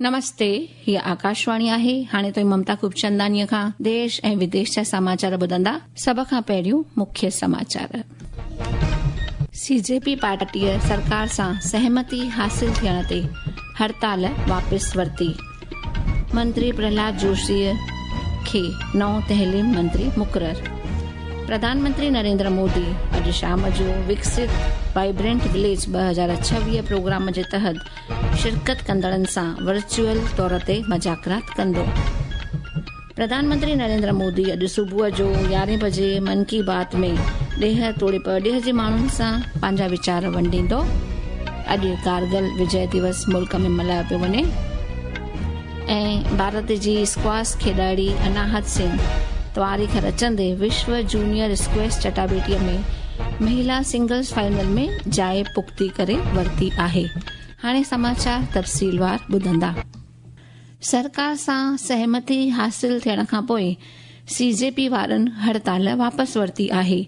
نمستي، هيء آڪاشواڻي آهي. هاڻي توهين ممتا خوبچنداڻيء کان ديش ۽ وديش جا سماچار ٻڌندا. سڀ کان پهريون مکيه سماچار. سي جي پي پارٽيء سرڪار سان سهمتي حاصل ٿيڻ تي هڙتال واپس ورتي. منتري پرهلاد جوشيء کي نئون تعليم منتري مقرر. پرڌان منتري نريندر مودي اڄ شام جو وڪست وائبرنٽ وليج 2026 پروگرام جي تحت شرڪت ڪندڙن سان ورچوئل طور تي مذاڪرات ڪندو. پرڌان منتري نريندر مودي اڄ صبح جو يارهين بجي من ڪي بات ۾ ڏيهه توڙي پرڏيهه جي ماڻهن سان پنهنجا ويچار ونڊيندو. اڄ ڪارگل وجي دوس ملڪ ۾ ملهايو پيو وڃي ۽ ڀارت جي اسڪواش کيڏاڙي اناهت سنگهه تواريخ رچندي وشو جونيئر اسڪواش چٽاڀيٽي ۾ مهلا سنگلز فائنل ۾ جاء پختي ڪري ورتي آهي. هاڻي سماچار تفصيلوار ٻڌندا. سرڪار سان سهمتي حاصل ٿيڻ کانپوء سي جي پي وارن هڙتال واپس ورتي آهي.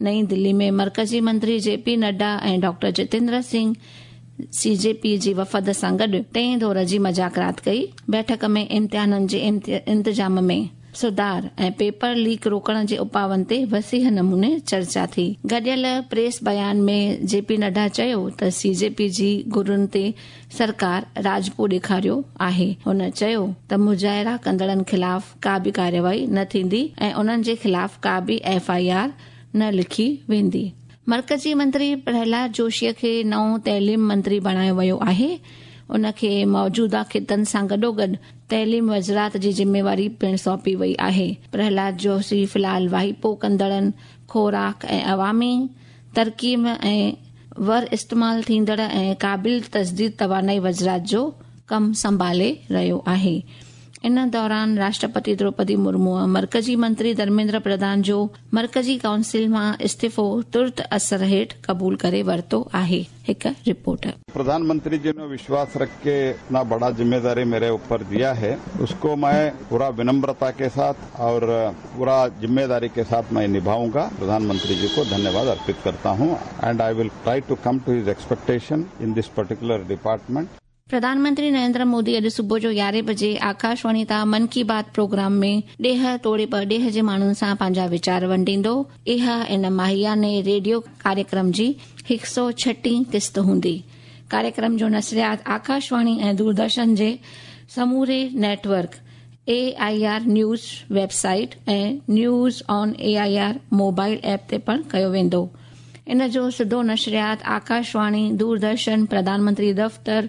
نئين دلي ۾ مرڪزي منتري J P Nadda ۽ doctor Jitendra Singh C J P جي وفد سان گڏ ٽئين دور جي مذاڪرات ڪئي. بيٺڪ ۾ امتحانن جي انتظام ۾ سڌار ۽ پيپر ليڪ روڪڻ جي اپاون تي وسيع نموني چرچا ٿي. گڏيل پريس بيان ۾ جي پي نڊا چيو ته سي جي پي جي گهرن تي سرڪار راضپو ڏيکاريو آهي. هن چيو ته مظاهرا ڪندڙن خلاف ڪا به ڪارروائي نه ٿيندي ۽ انهن جي خلاف ڪا به ايف I R نه لکي ويندي. مرڪزي منتري پرهلاد جوشي کي نئون تعليم منتري بڻايو ويو آهي. ان کي موجوده خطن سان گڏوگڏ تعليم وزرات جي ذميواري پڻ سونپي وئي آهي. پرهلاد جوشي في الحال واهپو ڪندڙن، خوراڪ ۽ عوامي ترقيم ۽ ور استعمال ٿيندڙ ۽ قابل تجديد توانائي وزرات جو ڪم سنڀالي رهيو آهي. ان دوران راشٽرپتي دروپدي مرموء مرڪزي منتري ڌرميندر پرڌان جو مرڪزي ڪائونسل مان استعيفو ترت اثر هيٺ قبول ڪري ورتو آهي. هڪ رپورٽ. प्रधानमंत्री जी ने विश्वास रख के इतना बड़ा जिम्मेदारी मेरे ऊपर दिया है, उसको मैं पूरा विनम्रता के साथ और पूरा जिम्मेदारी के साथ मैं निभाऊंगा। प्रधानमंत्री जी को धन्यवाद अर्पित करता हूं and I will try to come to his expectation in this particular department. Pradhan Mantri Narendra Modi اڄ صبح جو يارهين بجي آڪاشواڻي تان من ڪي بات پروگرام ۾ ڏيهه توڙي پرڏيهه جي ماڻهن سان پنهنجا ويچار ونڊيندو. اها ان ماهياني ريڊيو ڪاريڪرم جي هڪ سئو ڇٽين قسط هوندي. ڪاريڪرم جو نشريات آڪاشواڻي ۽ دوردرشن جي سموري network, A I R news website ۽ news on A I R mobile app تي پڻ ڪيو ويندو. ان جو سڌو نشريات آڪاشواڻي، دوردرشن، پرڌان منتري دفتر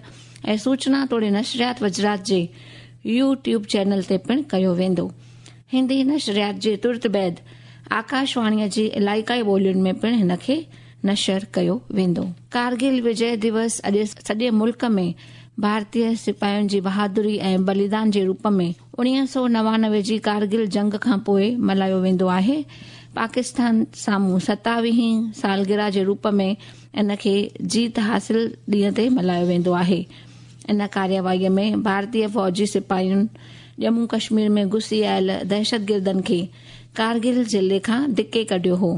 ۽ سوچنا توڙي نشريات وزرات جي يو ٽيوب چينل تي پڻ ڪيو ويندو. هندي نشريات جي ترت بعد آڪاشواڻيء جي علائقائي ٻولين ۾ پڻ هن کي نشر ڪيو ويندو. ڪارگل وجي دوس اڄ سڄي ملڪ ۾ ڀارتي سپاهين جي بهادري ۽ بليدان جي روپ ۾ 1999 جي ڪارگل جنگ کان پوء ملهايو ويندو آهي. پاڪستان سامهون ستاويهين سالگرهه جي روپ ۾ ان کي جيت حاصل ڏينهن تي ملهايو ويندو آهي. ان ڪارروائي ۾ ڀارتي فوجي سپاهين ڄمون ڪشمير ۾ گهسي آيل دهشتگردن کي ڪارگل ضلعي کان ڌڪي ڪڍيو هو،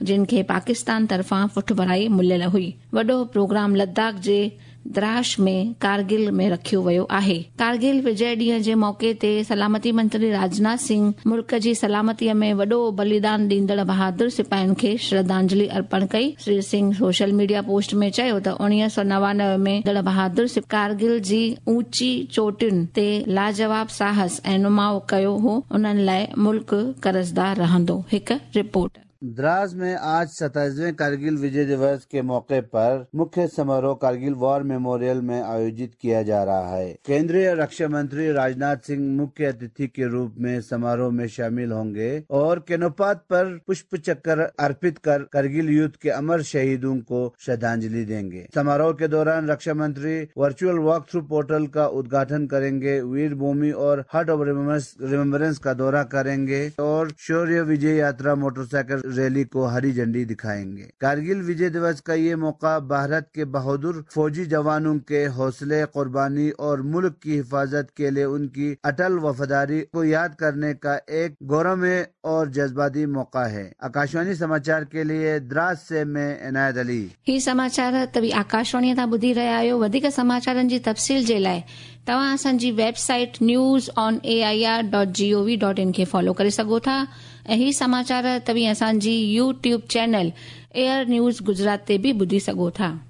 جن کي پاڪستان طرفان پٺڀرائي مليل هئي. وڏو پروگرام لداخ جي دراش ۾ ڪارگل ۾ رکيو ويو آهي. ڪارگل وجئه ڏينهن جي موقعي تي سلامتي منتري راجناٿ سنگهه ملڪ جي سلامتي ۾ وڏو بليدان ڏيندڙ بهادر سپاهين کي شرڌانجلي ارپڻ ڪئي. Shri Singh social media post ۾ چيو ته 1999 ۾ ڏيندڙ بهادر سپاهين ڪارگل جي اوچي چوٽين تي لاجواب ساهس ۽ نماء ڪيو هو، انهن لاء ملڪ قرضدار رهندو. هڪ رپورٽ. द्रास में आज 27वें कारगिल विजय दिवस के मौके पर मुख्य समारोह कारगिल वॉर मेमोरियल में आयोजित किया जा रहा है। केंद्रीय रक्षा मंत्री राजनाथ सिंह मुख्य अतिथि के रूप में समारोह में शामिल होंगे और केनोपात पर पुष्प चक्र अर्पित कर करगिल युद्ध के अमर शहीदों को श्रद्धांजलि देंगे। समारोह के दौरान रक्षा मंत्री वर्चुअल वॉक थ्रू पोर्टल का उद्घाटन करेंगे, वीर भूमि और हार्ट ऑफ रिमेम्बरेंस का दौरा करेंगे और शौर्य विजय यात्रा मोटरसाइकिल रैली को हरी झंडी दिखाएंगे। कारगिल विजय दिवस का ये मौका भारत के बहादुर फौजी जवानों के हौसले, कुर्बानी और मुल्क की हिफाजत के लिए उनकी अटल वफादारी को याद करने का एक गौरवमय और जज्बाती मौका है। आकाशवाणी समाचार के लिए द्रास से मैं इनायत अली। ही समाचार तव्हीं आकाशवाणीअ तां ॿुधी रहिया आहियो। वधीक समाचारनि जी तफ़सील जे लाइ तव्हां असांजी website newsonair.gov.in खे फॉलो करे सघो था ऐं ही समाचार तव्हीं असांजी YouTube channel AIR news Gujarat ते बि ॿुधी सघो था।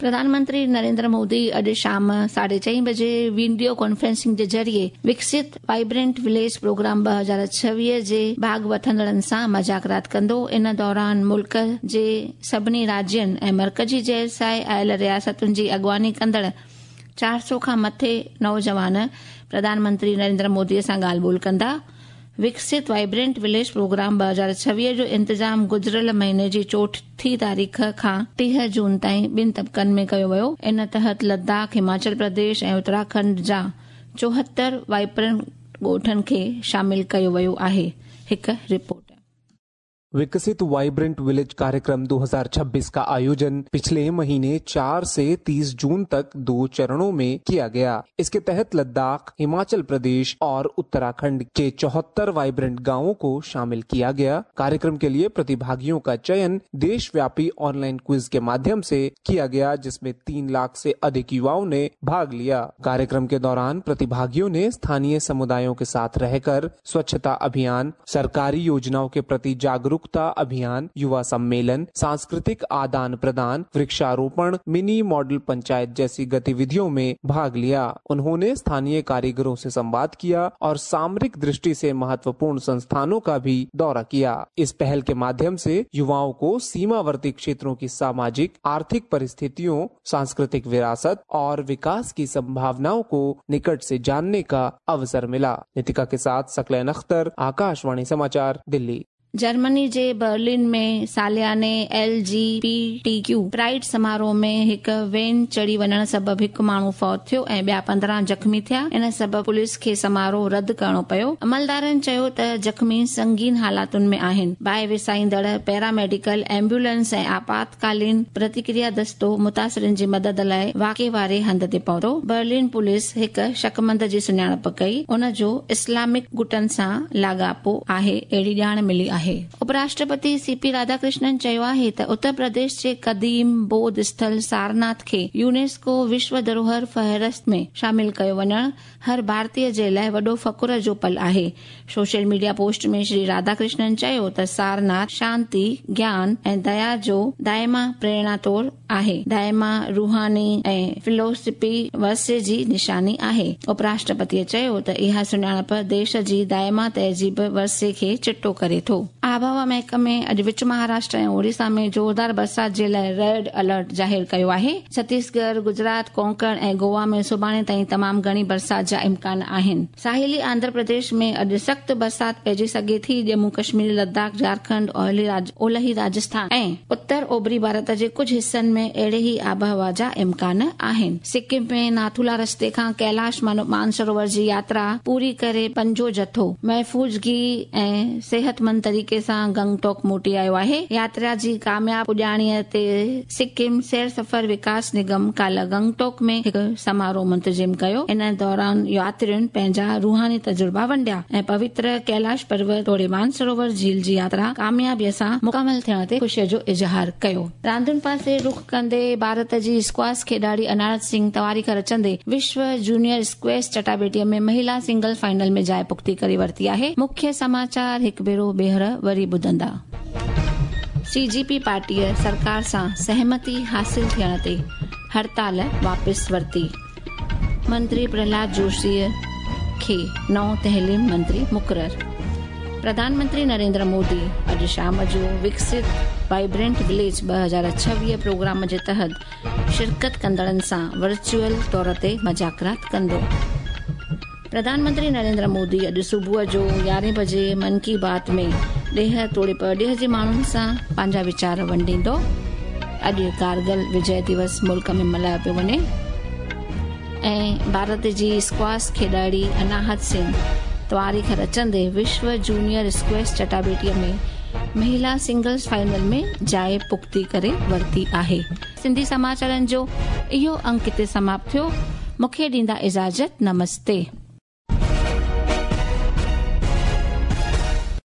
प्रधानमंत्री नरेंद्र मोदी अॼु शाम 4:30 बजे वीडियो कॉन्फ्रेंसिंग जे ज़रिए विकसित वाइब्रेंट विलेज प्रोग्राम 2026 जे भाॻ वठंदड़नि सां मज़ाकरात कंदो। इन दौरान मुल्क जे सभिनी राज्यनि ऐं मर्कज़ी ज़ेर आयल रियासतुनि जी अॻुवानी कंदड़ 400 खां मथे नौजवान प्रधानमंत्री नरेंद्र मोदीअ सां ॻाल्हि ॿोल कंदा। विकसित वाइब्रेंट विलेज प्रोग्राम 2026 जो इंतज़ाम गुज़िरियल महीने जी 4थी तारीख़ खां 30 जून ताईं ॿिनि तबक़नि में कयो वियो। इन तहत लद्दाख, हिमाचल प्रदेश ऐं उत्तराखंड जा 74 वाइब्रेंट ॻोठनि खे शामिल कयो वियो आहे। हिकु रिपोर्ट। विकसित वाइब्रेंट विलेज कार्यक्रम 2026 का आयोजन पिछले महीने 4 से 30 जून तक 2 चरणों में किया गया। इसके तहत लद्दाख, हिमाचल प्रदेश और उत्तराखंड के 74 वाइब्रेंट गांवों को शामिल किया गया। कार्यक्रम के लिए प्रतिभागियों का चयन देशव्यापी ऑनलाइन क्विज के माध्यम से किया गया, जिसमें 3 लाख से अधिक युवाओं ने भाग लिया। कार्यक्रम के दौरान प्रतिभागियों ने स्थानीय समुदायों के साथ रहकर स्वच्छता अभियान, सरकारी योजनाओं के प्रति जागरूकता अभियान, युवा सम्मेलन, सांस्कृतिक आदान प्रदान, वृक्षारोपण, मिनी मॉडल पंचायत जैसी गतिविधियों में भाग लिया। उन्होंने स्थानीय कारीगरों से संवाद किया और सामरिक दृष्टि से महत्वपूर्ण संस्थानों का भी दौरा किया। इस पहल के माध्यम से युवाओं को सीमावर्ती क्षेत्रों की सामाजिक, आर्थिक परिस्थितियों, सांस्कृतिक विरासत और विकास की संभावनाओं को निकट से जानने का अवसर मिला। नितिका के साथ सकलैन अख्तर, आकाशवाणी समाचार, दिल्ली। जर्मनी जे बर्लिन में सालियाने LGBTQ pride समारोह में हिकु when चढ़ी वञण सबबु हिकु माण्हू फौत थियो ऐं ॿिया 15 ज़ख़्मी थिया। इन सबबु पुलिस खे समारोह रद्द करिणो पियो। अमलदारनि चयो त ज़ख़्मी संगीन हालातुनि में आहिनि। बाहि विसाईंदड़ पैरामेडिकल एम्बुलेंस ऐं आपातकालीन प्रतिक्रिया दस्तो मुतासिरनि जी मदद लाइ वाक़े वारे हंध ते पहुतो। बर्लिन पुलिस हिकु शकमंद जी सुञाणप कई, उन जो इस्लामिक गुटनि सां लाॻापो आहे, अहिड़ी ॼाण मिली आहे। उपराष्ट्रपति सीपी राधाकृष्णन चयो आहे त उत्तर प्रदेश जे क़दीम बोध स्थल सारनाथ खे यूनेस्को विश्व धरोहर फहरिस्त में शामिल कयो वञण हर भारतीय जे लाइ वॾो फ़ख्र जो पल आहे। सोशल मीडिया पोस्ट में श्री राधाकृष्णन चयो त सारनाथ शांति, ज्ञान ऐं दया जो दाइमा प्रेरणा तौर आहे, दाइमा रूहानी ऐं फिलोसफी वर्से जी निशानी आहे। उपराष्ट्रपतीअ चयो त इहा सुञाणप देश जी दाइमा तहज़ीब वर्से खे चिटो करे थो। आबहवा महकमे अॼु विच महाराष्ट्र ऐं ओडिशा में जोरदार बरसाति जे लाइ रेड अलर्ट ज़ाहिर कयो आहे। छत्तीसगढ़, गुजरात, कोंकण ऐं गोवा में सुभाणे ताईं तमामु घणी बरसाति जा इम्कान आहिनि। साहिली आंध्र प्रदेश में अॼु सख़्तु बरसाति पइजी सघे थी। जम्मू कश्मीर, लद्दाख, झारखंड, ओलही राजस्थान ऐं उत्तर ओभरी भारत जे कुझु हिसनि में अहिड़े ई आबहवा जा इम्कान आहिनि। सिक्किम में नाथुला रस्ते खां कैलाश मानसरोवर जी यात्रा पूरी करे पंजो जथो महफ़ूज़गी ऐं सिहतमंद तरीक़े सां गंगटोक मोटी आयो आहे। यात्रा जी कामयाब पुॼाणीअ ते सिक्किम सैर सफ़र विकास निगम काल्ह गंगटोक में हिकु समारोह मुंतज़िम कयो। इन दौरान यात्रियुनि पंहिंजा रूहानी तजुर्बा वंडिया ऐं पवित्र कैलाश पर्वत तोड़े मानसरोवर झील जी यात्रा कामयाबीअ सां मुकमल थियण ते ख़ुशीअ जो इज़हार कयो। रांदियुनि पासे रुख कंदे भारत जी स्क्वाश खेॾाड़ी अनारत सिंह तवारीख़ रचंदे विश्व जूनियर स्क्वैश चटाबेटीअ में महिला सिंगल फाइनल में जाइ पुख़्ती करे वरिती आहे। मुख्य समाचार हिकु भेरो ॿीहर वरी ॿुधंदा। सीजीपी पार्टीअ सरकार सां सहमति हासिल थियण ते हड़ताल वापसि वरिती। मंत्री प्रहलाद जोशीअ खे नओं तहलीम मंत्री मुक़ररु। प्रधानमंत्री नरेंद्र मोदी अॼु शाम जो विकसित वाइब्रेंट विलेज 2026 प्रोग्राम जे तहत शिरकत कंदड़नि सां वर्चुअल तौर ते मज़ाकरात कंदो। प्रधानमंत्री नरेंद्र मोदी अॼु सुबुह जो 11 बजे मन की बात में ॾेह तोड़े परॾेह जे माण्हुनि सां पंहिंजा वीचार वंडींदो। अॼु कारगिल विजय दिवस मुल्क में मल्हायो पियो वञे ऐं भारत जी स्क्वाश खेॾाड़ी अनाहत सिंह تواريخ रचंदे विश्व जूनियर स्क्वैश चटाबेटीअ में महिला सिंगल्स फाइनल में जाइ पुख्ती करे वरिती आहे। सिंधी समाचारनि जो इहो अंक हिते समाप्त थियो। मूंखे ॾींदा इजाज़त। नमस्ते।